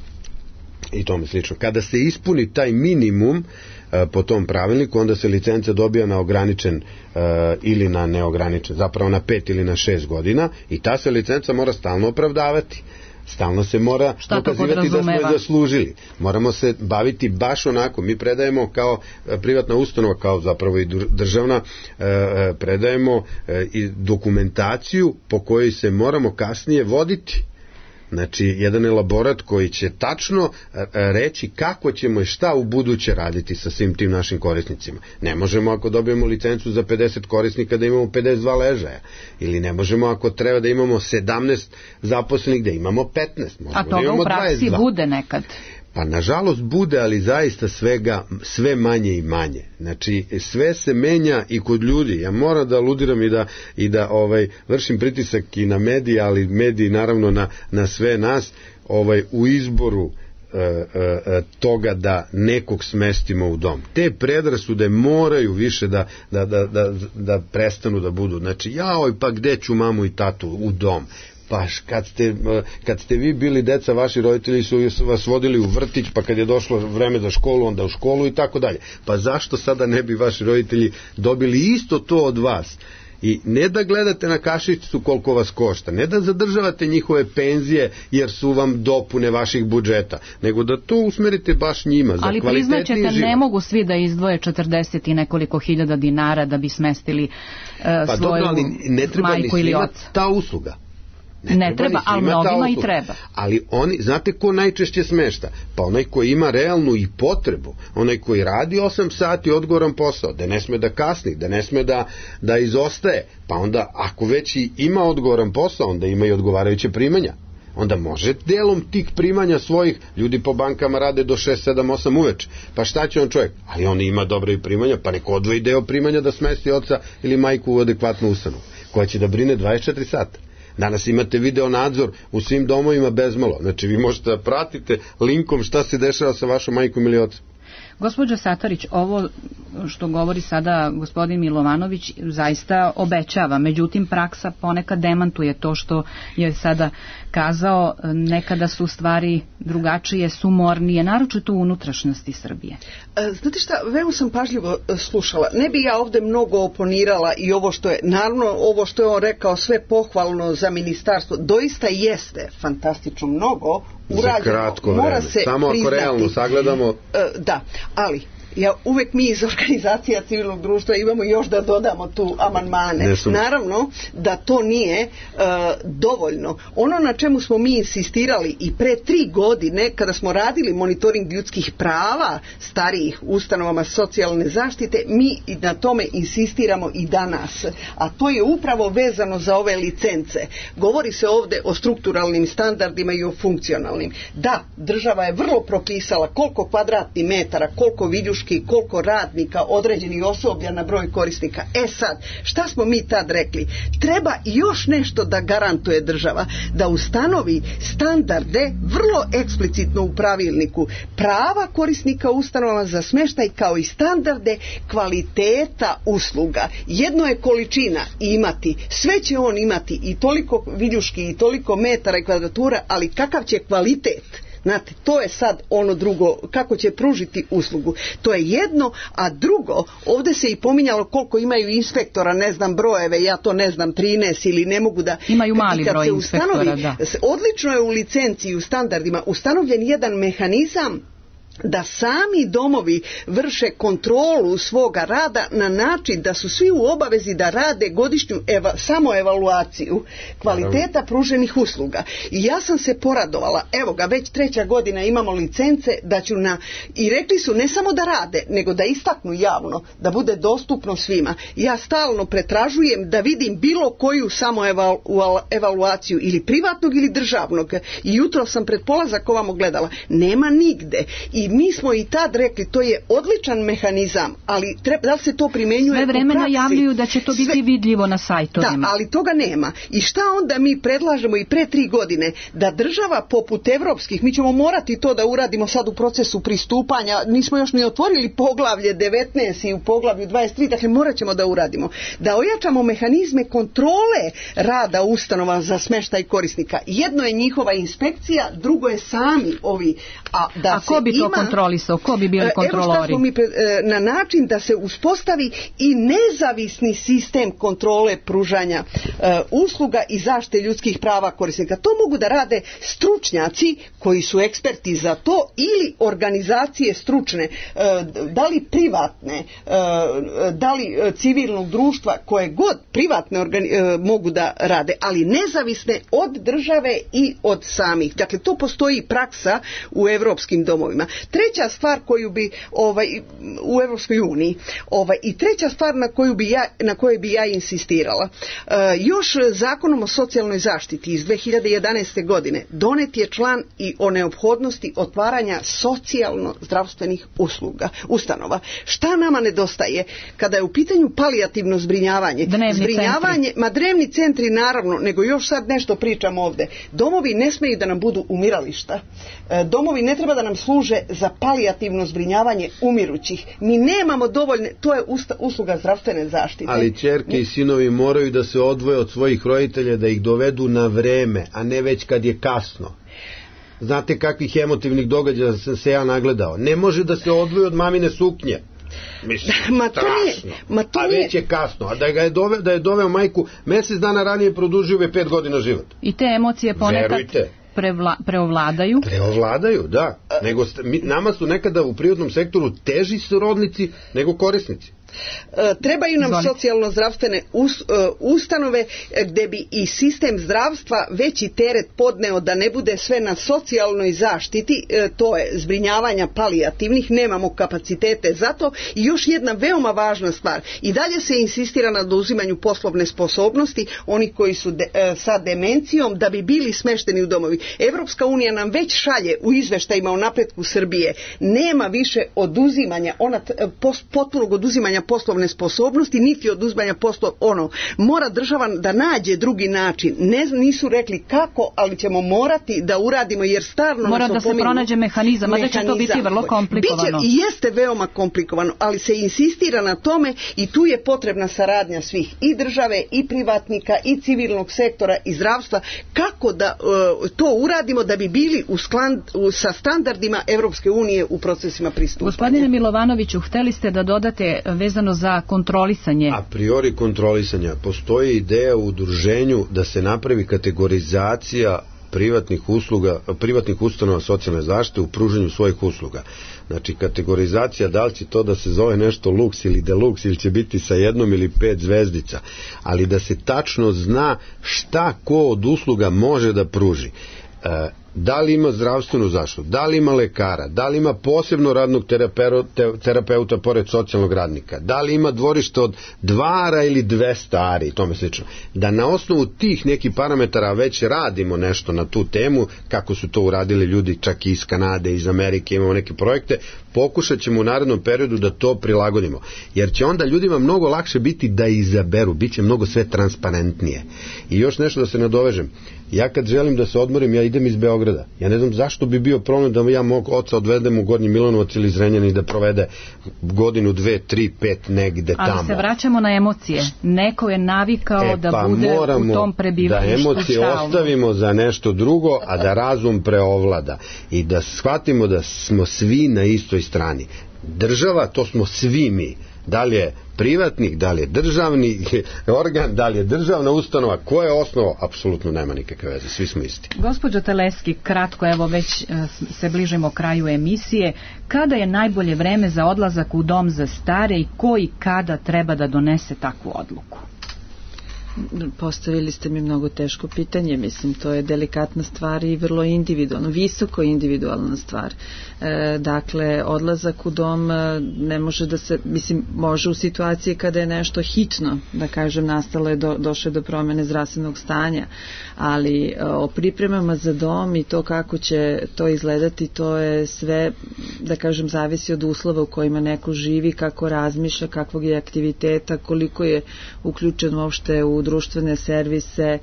i tome slično. Kada se ispuni taj minimum e, po tom pravilniku, onda se licenca dobija na ograničen e, ili na neograničen, zapravo na pet ili na šest godina, i ta se licenca mora stalno opravdavati. Stalno se mora dokazivati da smo je zaslužili. Moramo se baviti baš onako. Mi predajemo kao privatna ustanova, kao zapravo i državna, predajemo i dokumentaciju po kojoj se moramo kasnije voditi. Znači, jedan elaborat koji će tačno reći kako ćemo i šta u buduće raditi sa svim tim našim korisnicima. Ne možemo ako dobijemo licencu za pedeset korisnika da imamo pedeset dva ležaja. Ili ne možemo ako treba da imamo sedamnaest zaposlenih da imamo petnaest. A toga u praksi bude nekad. Pa nažalost bude, ali zaista svega, sve manje i manje. Znači sve se menja i kod ljudi. Ja moram da aludiram i da, i da ovaj, vršim pritisak i na medije, ali mediji naravno na, na sve nas ovaj, u izboru e, e, toga da nekog smestimo u dom. Te predrasude moraju više da, da, da, da, da prestanu da budu. Znači ja oj, pa gde ću mamu i tatu u dom? Pa kad ste, kad ste vi bili deca, vaši roditelji su vas vodili u vrtić, pa kad je došlo vreme za školu, onda u školu i tako dalje. Pa zašto sada ne bi vaši roditelji dobili isto to od vas? I ne da gledate na kašičicu koliko vas košta, ne da zadržavate njihove penzije jer su vam dopune vaših budžeta, nego da to usmerite baš njima za ali kvalitetniji život. Ali priznaćete, ne mogu svi da izdvoje četrdeset i nekoliko hiljada dinara da bi smestili uh, pa svoju dobro, ali ne treba majku ni ili svima oca. Ta usluga. Ne, ne treba, ali mnogima i treba. Ali oni, znate ko najčešće smešta? Pa onaj koji ima realnu i potrebu, onaj koji radi osam sati odgovoran posao, da ne sme da kasni, da ne sme da, da izostaje, pa onda ako već i ima odgovoran posao, onda ima i odgovarajuće primanja. Onda može delom tih primanja svojih, ljudi po bankama rade do šest, sedam, osam uveče, pa šta će on čovjek? Ali on ima dobre i primanja, pa neko odvoji deo primanja da smesti oca ili majku u adekvatnu ustanovu, koja će da brine dvadeset četiri sata. Danas imate video nadzor u svim domovima bezmalo. Znači vi možete da pratite linkom šta se dešava sa vašom majkom ili ocem. Gospođo Satarić, ovo što govori sada gospodin Milovanović zaista obećava, međutim praksa ponekad demantuje to što je sada kazao, nekada su stvari drugačije, sumornije, naročito u unutrašnjosti Srbije. Znate šta, veoma sam pažljivo slušala. Ne bi ja ovde mnogo oponirala i ovo što je, naravno ovo što je on rekao, sve pohvalno za ministarstvo, doista jeste fantastično mnogo urađeno. Za kratko vreme, samo ako realno sagledamo. Da, ali ja uvek mi iz organizacija civilnog društva imamo još da dodamo tu amandmane. Naravno da to nije uh, dovoljno. Ono na čemu smo mi insistirali i pre tri godine kada smo radili monitoring ljudskih prava starijih ustanovama socijalne zaštite, mi na tome insistiramo i danas. A to je upravo vezano za ove licence. Govori se ovde o strukturalnim standardima i o funkcionalnim. Da, država je vrlo propisala koliko kvadratnih metara, koliko viljuški, koliko radnika, određenih osoblja na broj korisnika. E sad, šta smo mi tad rekli? Treba još nešto da garantuje država, da ustanovi standarde vrlo eksplicitno u pravilniku prava korisnika ustanovama za smeštaj kao i standarde kvaliteta usluga. Jedno je količina imati, sve će on imati i toliko viljuški i toliko metara i kvadratura, ali kakav će kvalitet? Znate, to je sad ono drugo, kako će pružiti uslugu. To je jedno, a drugo, ovdje se i pominjalo koliko imaju inspektora, ne znam brojeve, ja to ne znam, trinaest ili ne mogu da... Imaju mali broj inspektora, ustanovi, da. Odlično je u licenciji i u standardima ustanovljen jedan mehanizam da sami domovi vrše kontrolu svoga rada na način da su svi u obavezi da rade godišnju eva, samoevaluaciju kvaliteta pruženih usluga. I ja sam se poradovala, evo ga, već treća godina imamo licence da ću na, i rekli su ne samo da rade, nego da istaknu javno, da bude dostupno svima. Ja stalno pretražujem da vidim bilo koju samoevaluaciju ili privatnog ili državnog. I jutro sam pred polazak ovamo gledala. Nema nigde. I I mi smo i tad rekli, to je odličan mehanizam, ali treba, da li se to primenjuje sve vreme u praksi? Najavljuju da će to biti sve vidljivo na sajtovima. Da, ali toga nema. I šta onda mi predlažemo i pre tri godine? Da država poput evropskih, mi ćemo morati to da uradimo sad u procesu pristupanja, nismo još ni otvorili poglavlje devetnaest i u poglavlju dvadeset tri, dakle morat ćemo da uradimo. Da ojačamo mehanizme kontrole rada ustanova za smeštaj korisnika. Jedno je njihova inspekcija, drugo je sami ovi. A, da a ko bi to ima, kontrolisao? Ko bi bili kontrolori? Evo mi pre, na način da se uspostavi i nezavisni sistem kontrole pružanja e, usluga i zaštite ljudskih prava korisnika. To mogu da rade stručnjaci koji su eksperti za to ili organizacije stručne, e, da li privatne, e, da li civilnog društva, koje god privatne organi, e, mogu da rade, ali nezavisne od države i od samih. Dakle, to postoji praksa u evropskim domovima. Treća stvar koju bi ovaj, u Evropskoj uniji ovaj, i treća stvar na koju bi ja, na kojoj bi ja insistirala. E, još zakonom o socijalnoj zaštiti iz dve hiljade jedanaeste. godine donet je član i o neophodnosti otvaranja socijalno-zdravstvenih usluga, ustanova. Šta nama nedostaje? Kada je u pitanju palijativno zbrinjavanje, dnevni zbrinjavanje, centri. ma drevni centri naravno, nego još sad nešto pričam ovde. Domovi ne smeju da nam budu umirališta. E, domovi ne treba da nam služe za palijativno zbrinjavanje umirućih. Mi nemamo dovoljne, to je usta, usluga zdravstvene zaštite. Ali ćerke i sinovi moraju da se odvoje od svojih roditelja, da ih dovedu na vreme, a ne već kad je kasno. Znate kakvih emotivnih događaja sam se ja nagledao. Ne može da se odvoje od mamine suknje. Mislim, ma to nije, ma to a već je kasno. A da, ga je, dove, da je doveo majku mjesec dana ranije, produžio je pet godina život. I te emocije ponekad Verujte. Prevla, preovladaju. Preovladaju, da. Nego, mi, nama su nekada u privatnom sektoru teži srodnici nego korisnici. E, trebaju nam Zvolite. socijalno-zdravstvene us, e, ustanove gde bi i sistem zdravstva veći teret podneo, da ne bude sve na socijalnoj zaštiti, e, to je zbrinjavanja palijativnih, nemamo kapacitete za to. I još jedna veoma važna stvar, i dalje se insistira na oduzimanju poslovne sposobnosti oni koji su de, e, sa demencijom, da bi bili smešteni u domovi. Evropska unija nam već šalje u izveštajima o napretku Srbije, nema više oduzimanja, ona pos, potpunog oduzimanja poslovne sposobnosti, niti oduzimanja poslo, ono, mora država da nađe drugi način. Ne, nisu rekli kako, ali ćemo morati da uradimo, jer starno mora da se pronađe mehanizam, a da će to biti vrlo komplikovano. Biće i jeste veoma komplikovano, ali se insistira na tome i tu je potrebna saradnja svih, i države, i privatnika, i civilnog sektora, i zdravstva, kako da uh, to uradimo da bi bili u skland, u, sa standardima Evropske unije u procesima pristupanja. Gospodine Milovanoviću, hteli ste da dodate vezano za kontrolisanje? A priori kontrolisanja. Postoji ideja u udruženju da se napravi kategorizacija privatnih usluga, privatnih ustanova socijalne zaštite u pružanju svojih usluga. Znači, kategorizacija, da li će to da se zove nešto luks ili deluks, ili će biti sa jednom ili pet zvezdica, ali da se tačno zna šta ko od usluga može da pruži. E, da li ima zdravstvenu zaštitu, da li ima lekara, da li ima posebno radnog terapeuta, terapeuta pored socijalnog radnika, da li ima dvorište od dvara ili dvesta ari, tome slično. Da na osnovu tih nekih parametara već radimo nešto na tu temu, kako su to uradili ljudi čak i iz Kanade, iz Amerike, imamo neke projekte, pokušat ćemo u narednom periodu da to prilagodimo. Jer će onda ljudima mnogo lakše biti da izaberu, bit će mnogo sve transparentnije. I još nešto da se nadovežem. Ja kad želim da se odmorim, ja idem iz Beograda. Ja ne znam zašto bi bio problem da ja mog oca odvedem u Gornji Milanovac ili Zrenjanin i da provede godinu, dve, tri, pet negde tamo. Ali se vraćamo na emocije. Neko je navikao e, da pa bude u tom prebivalištu. Da emocije stalno ostavimo za nešto drugo, a da razum preovlada. I da shvatimo da smo svi na istoj strani. Država, to smo svi mi. Da li je privatnik, da li je državni organ, da li je državna ustanova, ko je osnova, apsolutno nema nikakve veze, svi smo isti. Gospođo Teleski, kratko, evo već se bližimo kraju emisije, kada je najbolje vreme za odlazak u dom za stare i ko i kada treba da donese takvu odluku? Postavili ste mi mnogo teško pitanje, mislim, to je delikatna stvar i vrlo individualno, visoko individualna stvar. E, dakle, odlazak u dom ne može da se, mislim, može u situaciji kada je nešto hitno, da kažem, nastalo je, do, došlo do promene zdravstvenog stanja, ali o pripremama za dom i to kako će to izgledati, to je sve, da kažem, zavisi od uslova u kojima neko živi, kako razmišlja, kakvog je aktiviteta, koliko je uključen uopšte u društvene servise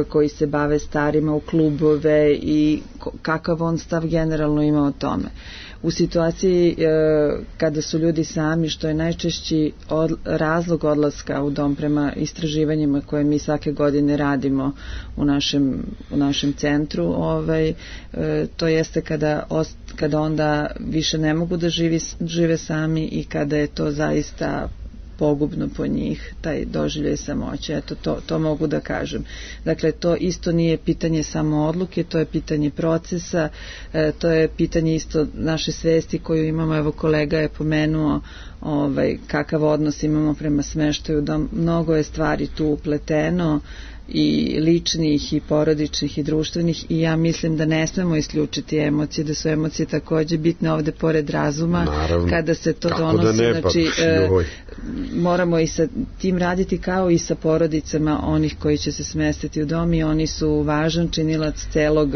koji se bave starima, u klubove i kakav on stav generalno ima o tome. U situaciji e, kada su ljudi sami, što je najčešći od, razlog odlaska u dom prema istraživanjima koje mi svake godine radimo u našem, u našem centru, ovaj, e, to jeste kada, ost, kada onda više ne mogu da živi, žive sami i kada je to zaista pogubno po njih, taj doživljaj samoće. Eto, to, to mogu da kažem. Dakle, to isto nije pitanje samo odluke, to je pitanje procesa, e, to je pitanje isto naše svesti koju imamo, evo kolega je pomenuo ovaj, kakav odnos imamo prema smeštaju, da mnogo je stvari tu upleteno, i ličnih i porodičnih i društvenih, i ja mislim da ne smemo isključiti emocije, da su emocije takođe bitne ovde pored razuma. Naravno, kada se to donosi, da ne, znači pa, e, moramo i sa tim raditi kao i sa porodicama onih koji će se smestiti u dom, i oni su važan činilac celog,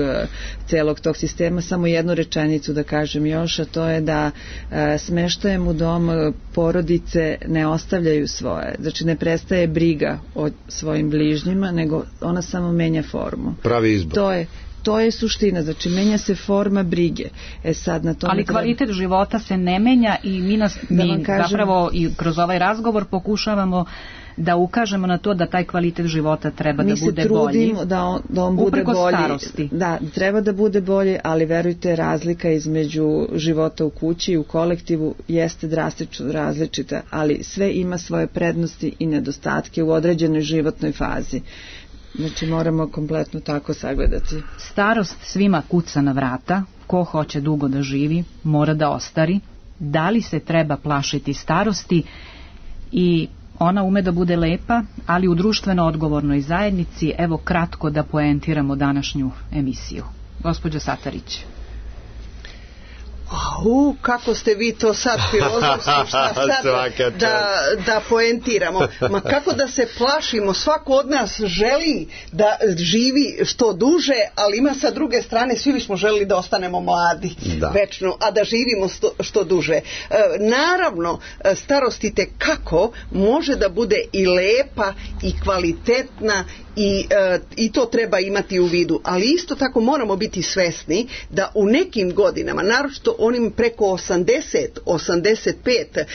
celog tog sistema. Samo jednu rečenicu da kažem još, a to je da e, smeštajem u dom porodice ne ostavljaju svoje, znači ne prestaje briga o svojim bližnjima, nego ona samo menja formu. Pravi izbor. To je, to je suština, znači menja se forma brige. E sad na tome Ali kvalitet treba... života se ne menja i mi, nas, da mi kažem... zapravo i kroz ovaj razgovor pokušavamo da ukažemo na to da taj kvalitet života treba mi da bude bolji. Mi se trudimo da on, da on bude bolji. Starosti. Da, treba da bude bolji, ali verujte, razlika između života u kući i u kolektivu jeste drastično različita, ali sve ima svoje prednosti i nedostatke u određenoj životnoj fazi. Znači moramo kompletno tako sagledati. Starost svima kuca na vrata, ko hoće dugo da živi, mora da ostari. Da li se treba plašiti starosti? I ona ume da bude lepa, ali u društveno odgovornoj zajednici. Evo kratko da poentiramo današnju emisiju. Gospođo Satarić. U, kako ste vi to sad filozofski, šta sad da, da poentiramo. Ma kako da se plašimo, svako od nas želi da živi što duže, ali ima sa druge strane, svi bismo želili da ostanemo mladi da. večno, a da živimo što, što duže. E, naravno, starost i tekako može da bude i lepa i kvalitetna i, e, i to treba imati u vidu, ali isto tako moramo biti svesni da u nekim godinama, naročito onim preko osamdeset, osamdeset pet, e,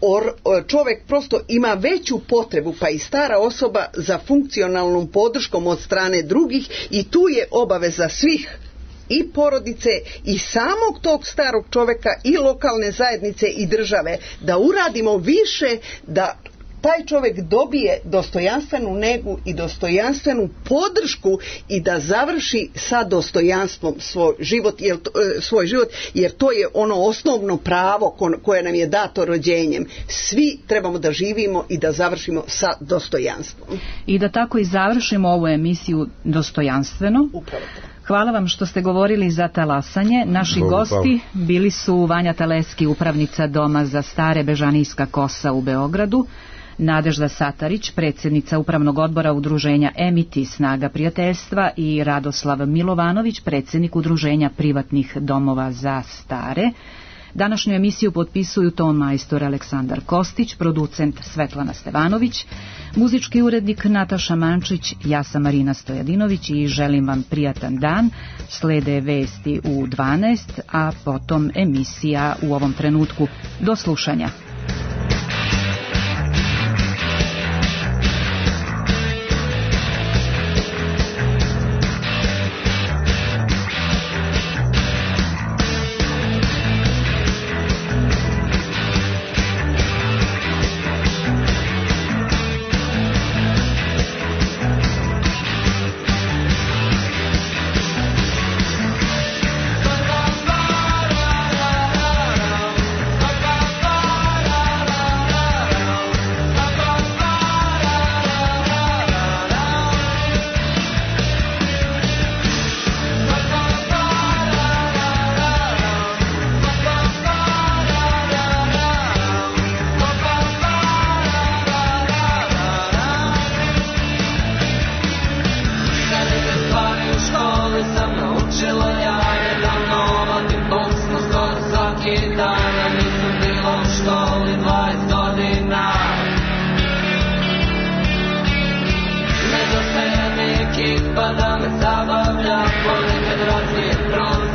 or, čovek prosto ima veću potrebu, pa i stara osoba, za funkcionalnom podrškom od strane drugih, i tu je obaveza svih, i porodice i samog tog starog čoveka i lokalne zajednice i države, da uradimo više da taj čovjek dobije dostojanstvenu negu i dostojanstvenu podršku i da završi sa dostojanstvom svoj život, jer, svoj život, jer to je ono osnovno pravo koje nam je dato rođenjem. Svi trebamo da živimo i da završimo sa dostojanstvom. I da tako i završimo ovu emisiju dostojanstveno. Upravo to. Hvala vam što ste govorili za talasanje. Naši Hvala. gosti bili su Vanja Teleski, upravnica Doma za stare Bežanijska kosa u Beogradu, Nadežda Satarić, predsjednica Upravnog odbora Udruženja Emiti Snaga prijateljstva, i Radoslav Milovanović, predsjednik Udruženja privatnih domova za stare. Današnju emisiju potpisuju ton majstor Aleksandar Kostić, producent Svetlana Stevanović, muzički urednik Nataša Mančić, ja sam Marina Stojadinović i želim vam prijatan dan. Slede vesti u dvanaest, a potom emisija U ovom trenutku. Do slušanja.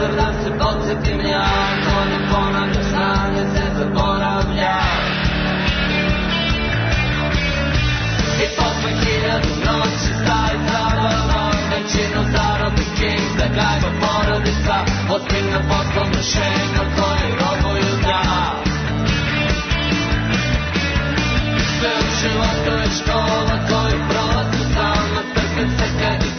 prozor da se podsjetim ja, ko ne ponavlja snage se zaboravlja. I posle hiljadu noći stavi zabava, većinu zarobi king, da gajba porodica, ozbiljna poslovna šema koji robuju da. Sve u životu je škola koju prolazu sama, trpim se kad